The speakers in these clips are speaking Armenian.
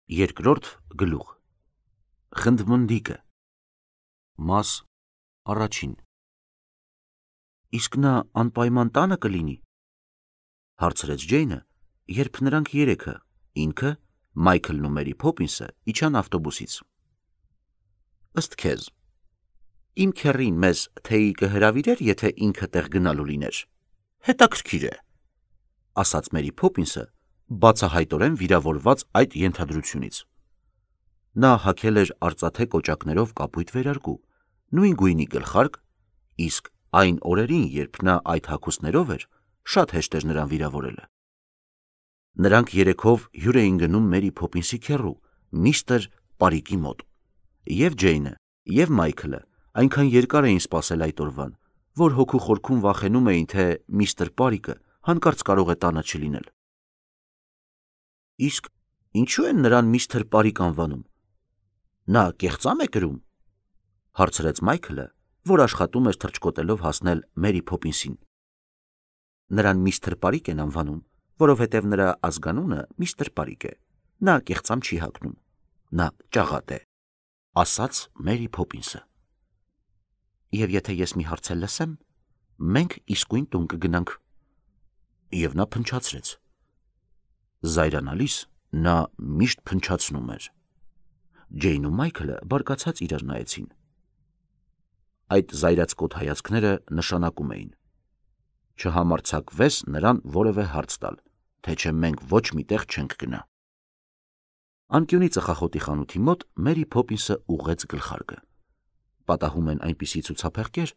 Երկրորդ գլուխ Խնդմնդիկը Մաս առաջին Իսկ նա անպայման տանը կլինի, հարցրեց Ջեյնը, երբ նրանք երեքը, ինքը, Մայքլն ու Մերի Փոփինսը իջան ավտոբուսից։ Ըստ քեզ, իմ քեռին մեզ թեյի կհրավիրեր, եթե ինքը տեղ գնալու լիներ։ Հետաքրքիր է, ասաց Մերի Փոփինսը, բացահայտորեն վիրավորված այդ ենթադրությունից։ Նա հագել էր արծաթե կոճակներով կապույտ վերարկու, նույն գույնի գլխարկ, իսկ այն օրերին, երբ նա այդ հագուստներով էր, շատ հեշտ էր նրան վիրավորելը։ Նրանք երեքով հյուր էին գնում Մերի Փոփինսի քեռու, միստր Պարիկի մոտ, և Ջեյնը, և Մայքլը այնքան երկար էին սպասել այդ օրվան, որ հոգու խորքում վախենում էին, թե միստր Պարիկը հանկարծ կարող է տանը չլինել։ Իսկ ինչու են նրան միստր Պարիկ անվանում։ Նա կեղծա՞մ է կրում, հարցրեց Մայքլը, որ աշխատում էր թռչկոտելով հասնել Մերի Փոփինսին։ Նրան միստր Պարիկ են անվանում, որովհետև նրա ազգանունը միստր Պարիկ է։ Նա կեղծամ չի հագնում։ Նա ճաղատ է, ասաց Մերի Փոփինսը։ Եվ եթե ես մի հարց լսեմ, մենք իսկույն տուն կգնանք։ Եվ նա փնչացրեց։ Զայրանալիս նա միշտ փնչացնում էր։ Ջեյն ու Մայքլը բարկացած իրար նայեցին։ Այդ զայրացկոտ հայացքները նշանակում էին. չհամարձակվես նրան որևէ հարց տալ, թե չէ մենք ոչ մի տեղ չենք գնա։ Անկյունի ծխախոտի խանութի մոտ Մերի Փոփինսը ուղղեց գլխարկը։ Պատահում են այնպիսի ցուցափեղկեր,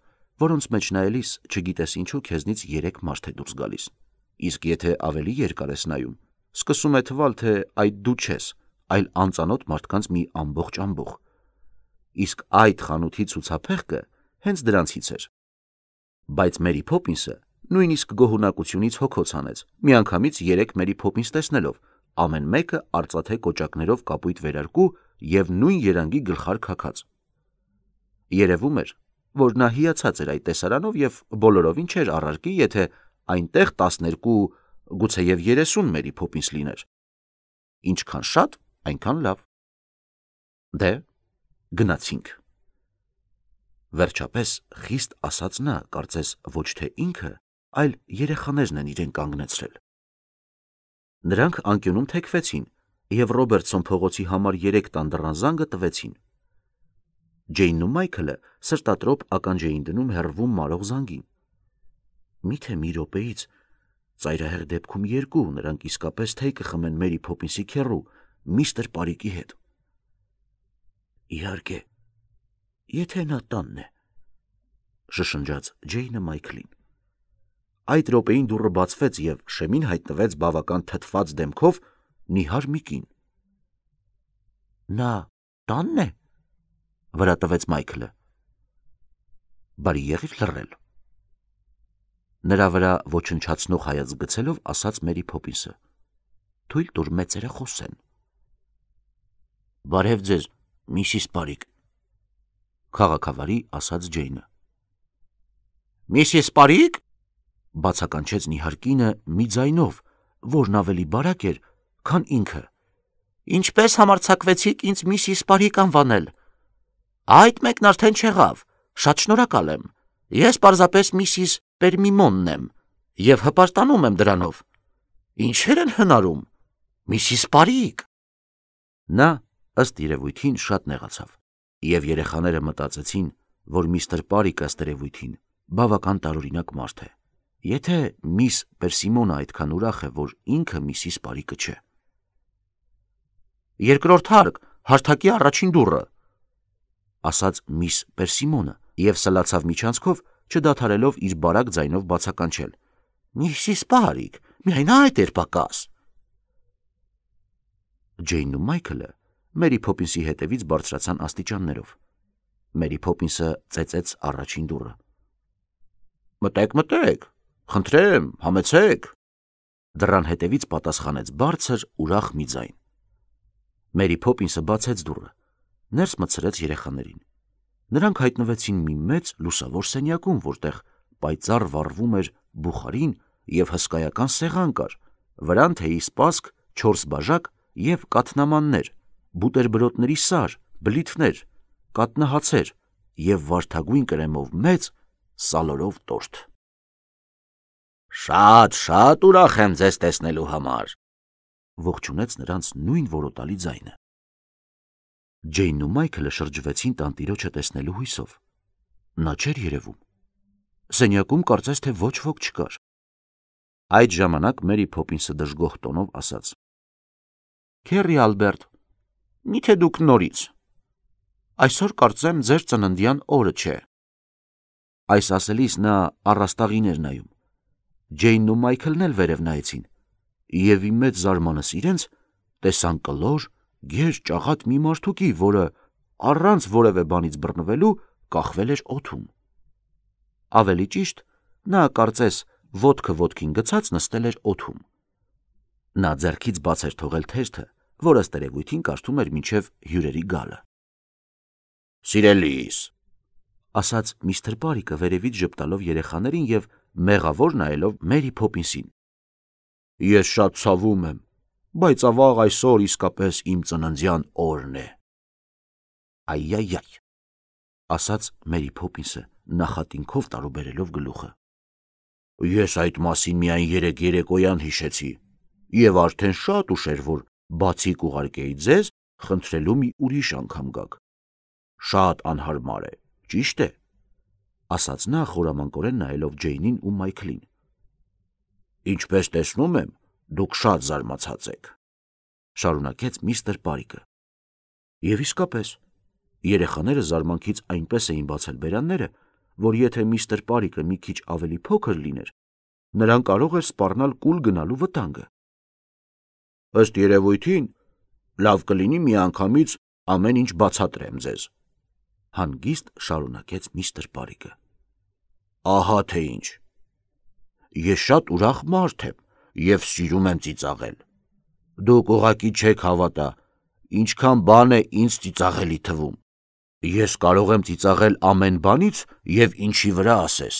որոնց մեջ նայելիս չգիտես ինչու քեզնից 3 մարդ է դուրս գալիս, իսկ եթե ավելի երկար ես նայում, սկսում է թվալ, թե այդ դու չես, այլ անծանոթ մարդկանց մի ամբողջ ամբոխ։ Իսկ այդ խանութի ցուցափեղկը հենց դրանցից էր։ Բայց Մերի Փոփինսը նույնիսկ գոհունակությունից հոգոց հանեց, միանգամից 3 Մերի Փոփինս տեսնելով, ամեն մեկը արծաթե կոճակներով կապույտ վերարկու և նույն երանգի գլխարկ հագած։ Երևում էր, որ նա հիացած էր այդ տեսարանով և բոլորովին չէր առարկի, եթե այնտեղ 12, գուցեև 30 Մերի Փոփինս լիներ։ Ինչքան շատ, այնքան լավ։ Դե, գնացինք։ Վերջապես խիստ ասաց նա, կարծես ոչ թե ինքը, այլ երեխաներն են իրեն կանգնեցրել։ Նրանք անկյունում թեքվեցին և Ռոբերտսոն փողոցի համար 3 տան դռան զանգը տվեցին։ Ջեյնն ու Մայքլը սրտատրոփ ականջ էին դնում հեռվում մարող զանգին։ Միթե մի րոպեից, ծայրահեղ դեպքում 2, նրանք իսկապես թեյ կխմեն Մերի Փոփինսի քեռու, միստր Պարիկի հետ։ Իհարկե, եթե նա տանն է, շշնջաց Ջեյնը Մայքլին։ Այդ րոպեին դուռը բացվեց և շեմին հայտնվեց բավական թթված դեմքով նիհար մի կին։ Նա տանն է, վրա տվեց Մայքլը։ Բարի եղիր լռել։ Նրա վրա ոչնչացնող հայացք գցելով ասաց Մերի Փոփինսը. Թույլ տուր մեծերը խոսեն։ Բարև ձեզ, միսիս Պարիկ, քաղաքավարի ասաց Ջեյնը։ Միսիս Պարիկ, բացականչեց նիհար կինը մի ձայնով, որն ավելի բարակ էր, քան ինքը։ Ինչպես համարձակվեցիք ինձ միսիս Պարիկ անվանել։ Այդ մեկն արդեն չեղավ, շատ շնորհակալ եմ։ Ես պարզապես միսիս Պերմիմոնն եմ և հպարտանում եմ դրանով։ Ինչեր են հնարում, միսիս Պարիկ։ Նա ըստ երևույթին շատ նեղացավ, և երեխաները մտածեցին, որ միստր Պարիկը ըստ երևույթին բավական տարօրինակ մարդ է, եթե միս Պերսիմոնը այդքան ուրախ է, որ ինքը միսիս Պարիկը չէ։ Երկրորդ հարկ, հարթակի առաջին դուռը, ասաց միս Պերսիմոնը և սլացավ միջանցքով, չդադարելով իր բարակ ձայնով բացականչել. Միսիս Պարիկ, միայն այդ էր պակաս։ Ջեյնն ու Մայքլը Մերի Փոփինսի հետևից բարձրացան աստիճաններով։ Մերի Փոփինսը ծեծեց առաջին դուռը։ Մտեք, մտեք, խնդրեմ, համեցեք։ Դռան հետևից պատասխանեց բարձր, ուրախ մի ձայն։ Մերի Փոփինսը բացեց դուռը, ներս մտցրեց երեխաներին։ Նրանք հայտնվեցին մի մեծ լուսավոր սենյակում, որտեղ պայծառ վառվում էր բուխարին և հսկայական սեղան կար, վրան թեյի սպասք, 4 բաժակ և կաթնամաններ, բուտերբրոդների սար, բլիթներ, կատնահացեր և վարդագույն կրեմով մեծ սալորով տորթ։ Շատ ուրախ եմ ձեզ տեսնելու համար, ողջունեց նրանց նույն որոտալի ձայնը։ Ջեյնն ու Մայքլը շրջվեցին տանտիրոջը տեսնելու հույսով։ Նա չէր երևում։ Սենյակում կարծես թե ոչ ոք չկար։ Այդ ժամանակ Մերի Փոփինսը դժգոհ տոնով ասաց. Քեռի Ալբերտ, միթե դուք նորից։ Այսօր կարծեմ ձեր ծննդյան օրը չէ։ Այս ասելիս նա առաստաղին էր նայում։ Ջեյնն ու Մայքլն էլ վերև նայեցին, և ի մեծ զարմանս իրենց տեսան կլոր, գեր ճաղատ մի մարդուկի, որը առանց որևէ բանից բռնվելու կախվել էր օդում։ Ավելի ճիշտ, նա կարծես ոտքը ոտքին գցած նստել էր օդում։ Նա ձեռքից բաց էր թողել թերթը, որ ըստ երևույթին կարդում էր մինչև հյուրերի գալը։ Սիրելիս, ասաց միստր Պարիկը վերևից ժպտալով երեխաներին և մեղավոր նայելով Մերի Փոփինսին։ Ես շատ ցավում եմ, բայց ավաղ այսօր իսկապես իմ ծննդյան օրն է։ Այ, ասաց Մերի Փոփինսը նախատինքով տարուբերելով գլուխը։ Ես այդ մասին միայն երեկ երեկոյան հիշեցի, և արդեն շատ ուշ էր, որ բացի կուղարկեի ձեզ, խնդրելու մի ուրիշ անգամ գաք։ Շատ անհարմար է, ճիշտ է, ասաց նա խորամանկորեն նայելով Ջեյնին ու Մայքլին։ Ինչպես տեսնում եմ, դուք շատ զարմացած եք, շարունակեց միստր Պարիկը։ Եվ իսկապես, երեխաները զարմանքից այնպես էին բացել բերանները, որ եթե միստր Պարիկը մի քիչ ավելի փոքր լիներ, նրան կարող էր սպառնալ կուլ գնալու վտանգը։ Ըստ երևույթին, լավ կլինի միանգամից ամեն ինչ բացատրեմ ձեզ, հանգիստ շարունակեց միստր Պարիկը։ Ահա թե ինչ։ Ես շատ ուրախ մարդ եմ և սիրում եմ ծիծաղել։ Դուք ուղղակի չեք հավատա, ինչքան բան է ինձ ծիծաղելի թվում։ Ես կարող եմ ծիծաղել ամեն բանից և ինչի վրա ասես։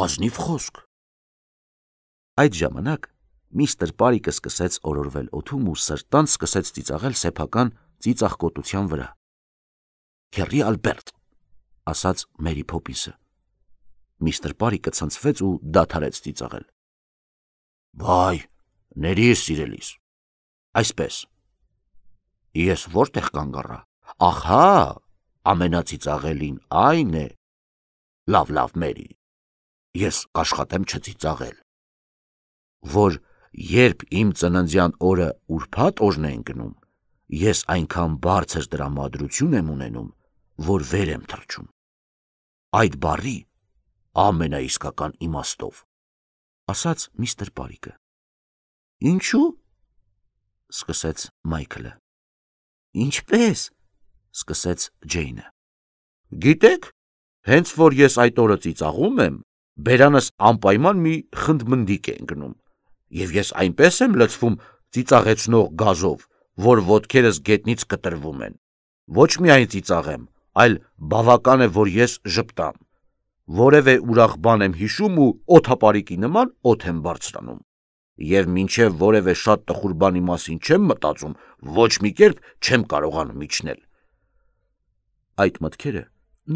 Ազնիվ խոսք։ Այդ ժամանակ միստր Պարիկը սկսեց օրորվել օդում ու սրտանց սկսեց ծիծաղել սեփական ծիծաղկոտության վրա։ Քեռի Ալբերտ, ասաց Մերի Փոփինսը։ Միստր Պարիկը ցնցվեց ու դադարեց ծիծաղել։ Վայ, ներիր սիրելիս։ Այսպես։ Ես որտեղ կանգ առա։ Ահա, ամենածիծաղելին այն է։ Լավ, Մերի, ես կաշխատեմ չծիծաղել։ Որ երբ իմ ծննդյան օրը ուրբաթ օրն է ընկնում, ես այնքան բարձր տրամադրություն եմ ունենում, որ վեր եմ թռչում։ Այդ բառի ամենաիսկական իմաստով, ասաց միստր Պարիկը։ Ինչու՞, սկսեց Մայքլը։ Ինչպես, սկսեց Ջեյնը։ Գիտեք, հենց որ ես այդ օրը ծիծաղում եմ, բերանս անպայման մի խնդմնդիկ է ընկնում, և ես այնպես եմ լցվում ծիծաղեցնող գազով, որ ոտքերս գետնից կտրվում են։ Ոչ միայն ծիծաղեմ, այլ բավական է, որ ես ժպտամ։ Որևէ ուրախ բան եմ հիշում ու օդապարիկի նման օդ եմ բարձրանում։ Եվ մինչև որևէ շատ տխուր բանի մասին չեմ մտածում, ոչ մի կերպ չեմ կարողանում իջնել։ Այդ մտքերը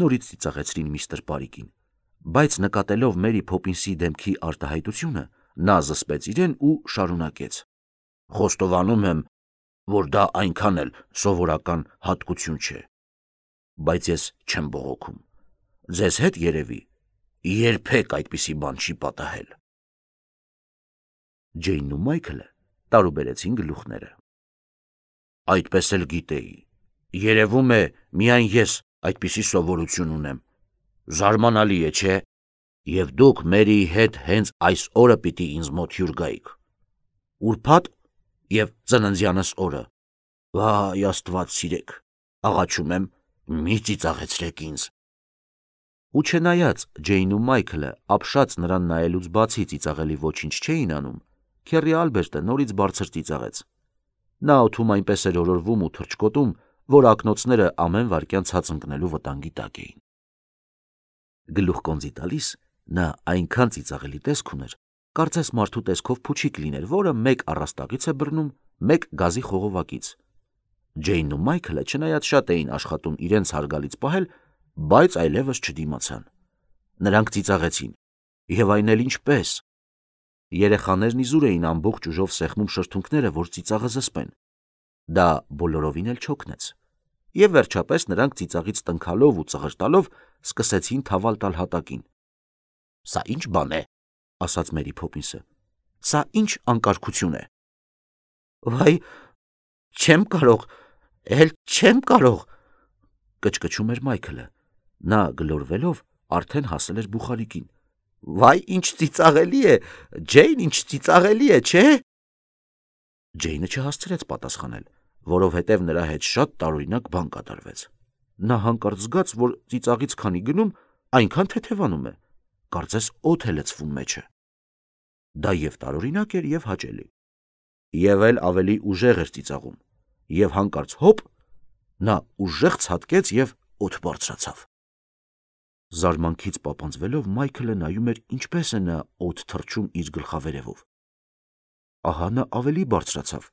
նորից ծիծաղեցրին միստր Պարիկին, բայց նկատելով Մերի Փոփինսի դեմքի արտահայտությունը, նա զսպեց իրեն ու շարունակեց. Խոստովանում եմ, որ դա այնքան էլ սովորական հատկություն չէ, բայց ես չեմ բողոքում։ Ձեզ հետ երևի երբեք այդպիսի բան չի պատահել։ Ջեյնն ու Մայքլը տարուբերեցին գլուխները։ Այդպես էլ գիտեի։ Երևում է, միայն ես այդպիսի սովորություն ունեմ։ Զարմանալի է, չէ՞։ Եվ դուք Մերիի հետ հենց այս օրը պիտի ինձ մոտ հյուր գայիք։ Ուրբաթ և ծննդյանս օրը։ Վայ, Աստված սիրեք, աղաչում եմ, մի ծիծաղեցրեք ինձ։ Ու չնայած Ջեյնն ու Մայքլը ապշած նրան նայելուց բացի ծիծաղելի ոչինչ չէին անում, քեռի Ալբերտը նորից բարձր ծիծաղեց։ Նա օդում այնպես էր օրորվում ու թռչկոտում, որ ակնոցները ամեն վայրկյան ցած ընկնելու վտանգի տակ էին։ Գլուխկոնձի տալիս նա այնքան ծիծաղելի տեսք ուներ, կարծես մարդու տեսքով փուչիկ լիներ, որը մեկ առաստաղից է բռնում, մեկ գազի խողովակից։ Ջեյնն ու Մայքլը չնայած շատ էին աշխատում իրենց հարգալից պահել, բայց այլևս չդիմացան։ Նրանք ծիծաղեցին, եւ այն էլ ինչպես։ Երեխաներն իզուր էին ամբողջ ուժով սեղմում շրթունքները, որ ծիծաղը զսպեն։ Դա բոլորովին էլ չօգնեց։ Եվ վերջապես նրանք ծիծաղից տնքալով ու ծղրտալով սկսեցին թավալ տալ հատակին։ «Սա ինչ բան է», ասաց Մերի Փոփինսը։ «Սա ինչ անկարգություն է»։ «Վայ, չեմ կարող, չեմ կարող», կչկչում էր Մայքլը։ Նա գլորվելով արդեն հասել էր բուխարիկին։ «Վայ, ինչ ծիծաղելի է, Ջեյն, ինչ ծիծաղելի է, չէ՞»։ Ջեյնը չհասցրեց պատասխանել, որովհետև նրա հետ շատ տարօրինակ բան կատարվեց։ Նա հանկարծ զգաց, որ ծիծաղից քանի գնում, այնքան թեթևանում է, կարծես օդ է լցվում մեջը։ Դա եւ տարօրինակ էր, եւ հաճելի։ Եվ էլ ավելի ուժեղ էր ծիծաղում, եւ հանկարծ հոպ, նա ուժեղ ցատկեց եւ օդ բարձրացավ։ Զարմանքից պապանձվելով Մայքլը նայում էր, ինչպես է նա օդ թռչում իր գլխավերևով։ Ահա նա ավելի բարձրացավ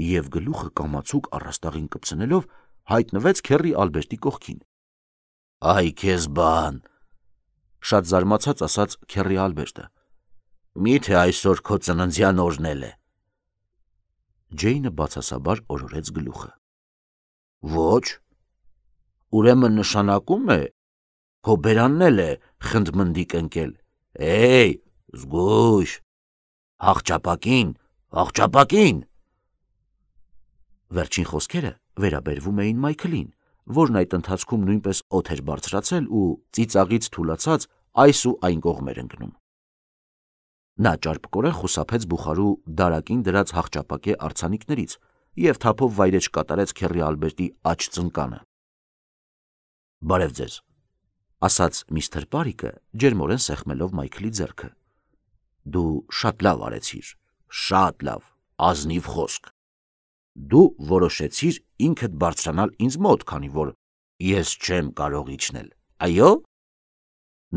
եւ գլուխը կամացուկ առաստաղին կպցնելով հայտնվեց Քեռի Ալբերտի կողքին։ «Այ քեզ բան», շատ զարմացած ասաց Քեռի Ալբերտը։ «Մի՞թե այսօր քո ծննդյան օրն է»։ Ջեյնը բացասաբար օրորեց գլուխը։ «Ոչ, ուրեմն նշանակում է, քո բերանն էլ է խնդմնդիկ ընկել։ Էй, զգույշ, աղճապակին»։ Վերջին խոսքերը վերաբերվում էին Մայքլին, որն այդ ընթացքում նույնպես օդ էր բարձրացել ու ծիծաղից թուլացած այս ու այն կողմ էր ընկնում։ Նա ճարպկորեն խուսափեց բուխարու դարակին դրած հաղճապակե արձանիկներից եւ թափով վայրեջ կատարեց Քեռի Ալբերտի աջ ծնկանը։ «Բարև ձեզ», ասաց միստր Պարիկը, ջերմորեն սեղմելով Մայքլի ձեռքը։ «Դու շատ լավ արեցիր, շատ լավ, ազնիվ խոսք։ Դու որոշեցիր ինքդ բարձրանալ ինձ մոտ, քանի որ ես չեմ կարող իջնել, այո՞»։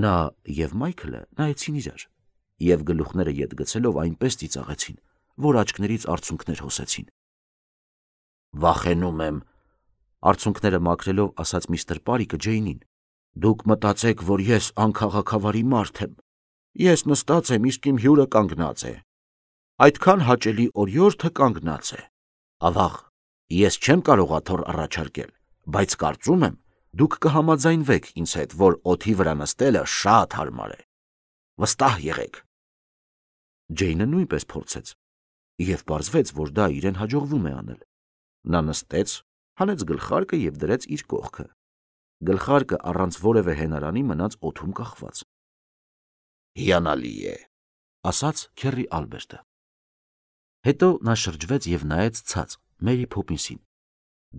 Նա եւ Մայքլը նայեցին իրար եւ գլուխները ետ գցելով այնպես ծիծաղեցին, որ աչքներից արցունքներ հոսեցին։ «Վախենում եմ», արցունքները մաքրելով ասաց միստր Պարիկը Ջեյնին։ «Դուք մտածեք, որ ես անքաղաքավարի մարդ եմ։ Ես նստած եմ, իսկ իմ հյուրը կանգնած է։ Այդքան հաճելի օրիորդը կանգնած է։ Ավաղ, ես չեմ կարող աթոռ առաջարկել, բայց կարծում եմ, դուք կհամաձայնվեք ինձ հետ, որ օդի վրա նստելը շատ հարմար է։ Վստահ եղեք»։ Ջեյնը նույնպես փորձեց, եւ պարզվեց, որ դա իրեն հաջողվում է անել։ Նա նստեց, հանեց գլխարկը եւ դրեց իր կողքը։ Գլխարկը առանց որևէ հենարանի մնաց օդում կախված։ «Հիանալի է», ասաց Քեռի Ալբերտը։ Հետո նա շրջվեց եւ նայեց ցած Մերի Փոփինսին։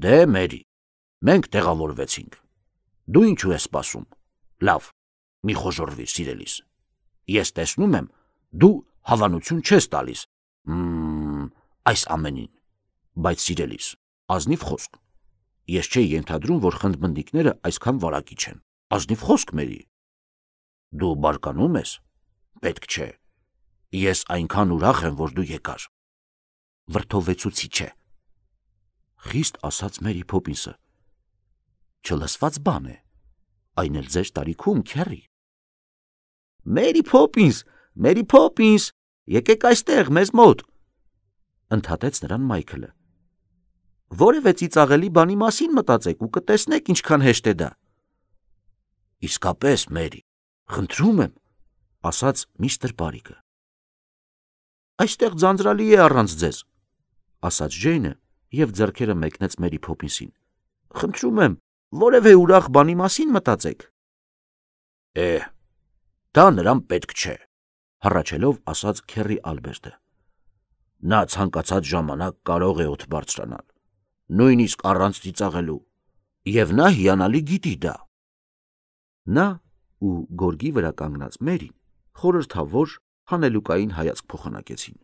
«Դե, Մերի, մենք տեղավորվեցինք։ Դու ինչու ես սպասում։ Լավ, մի խոժոռվիր, սիրելիս։ Ես տեսնում եմ, դու հավանություն չես տալիս այս ամենին, բայց սիրելիս, ազնիվ խոսք։ Ես չէի ենթադրում, որ խնդմնդիկները այսքան վարակիչ են։ Ազնիվ խոսք, Մերի։ Դու բարկանում ես։ Պետք չէ։ Ես այնքան ուրախ եմ, որ դու եկար։ Վրդովվեցուցիչ է, խիստ ասաց Մերի Փոփինսը։ Չլսված բան է, այն էլ ձեր տարիքում, Քեռի։ «Մերի Փոփինս, եկեք այստեղ, մեզ մոտ», ընդհատեց նրան Մայքլը։ «Որևէ ծիծաղելի բանի մասին մտածեք ու կտեսնեք ինչքան հեշտ է դա»։ «Իսկապես, Մերի, խնդրում եմ», ասաց միստր Պարիկը։ «Այստեղ ձանձրալի է առանց ձեզ», ասաց Ջեյնը եւ ձեռքերը մեկնեց Մերի Փոփինսին։ «Խնդրում եմ, որևէ ուրախ բանի մասին մտածեք»։ Դա նրան պետք չէ, հառաչելով ասաց Քեռի Ալբերտը։ Նա ցանկացած ժամանակ կարող է օդ բարձրանալ, նույնիսկ առանց ծիծաղելու, եւ նա հիանալի գիտի դա։ Նա ու գորգի վրա կանգնած Մերին խորհրդավոր հանելուկային հայացք փոխանակեցին։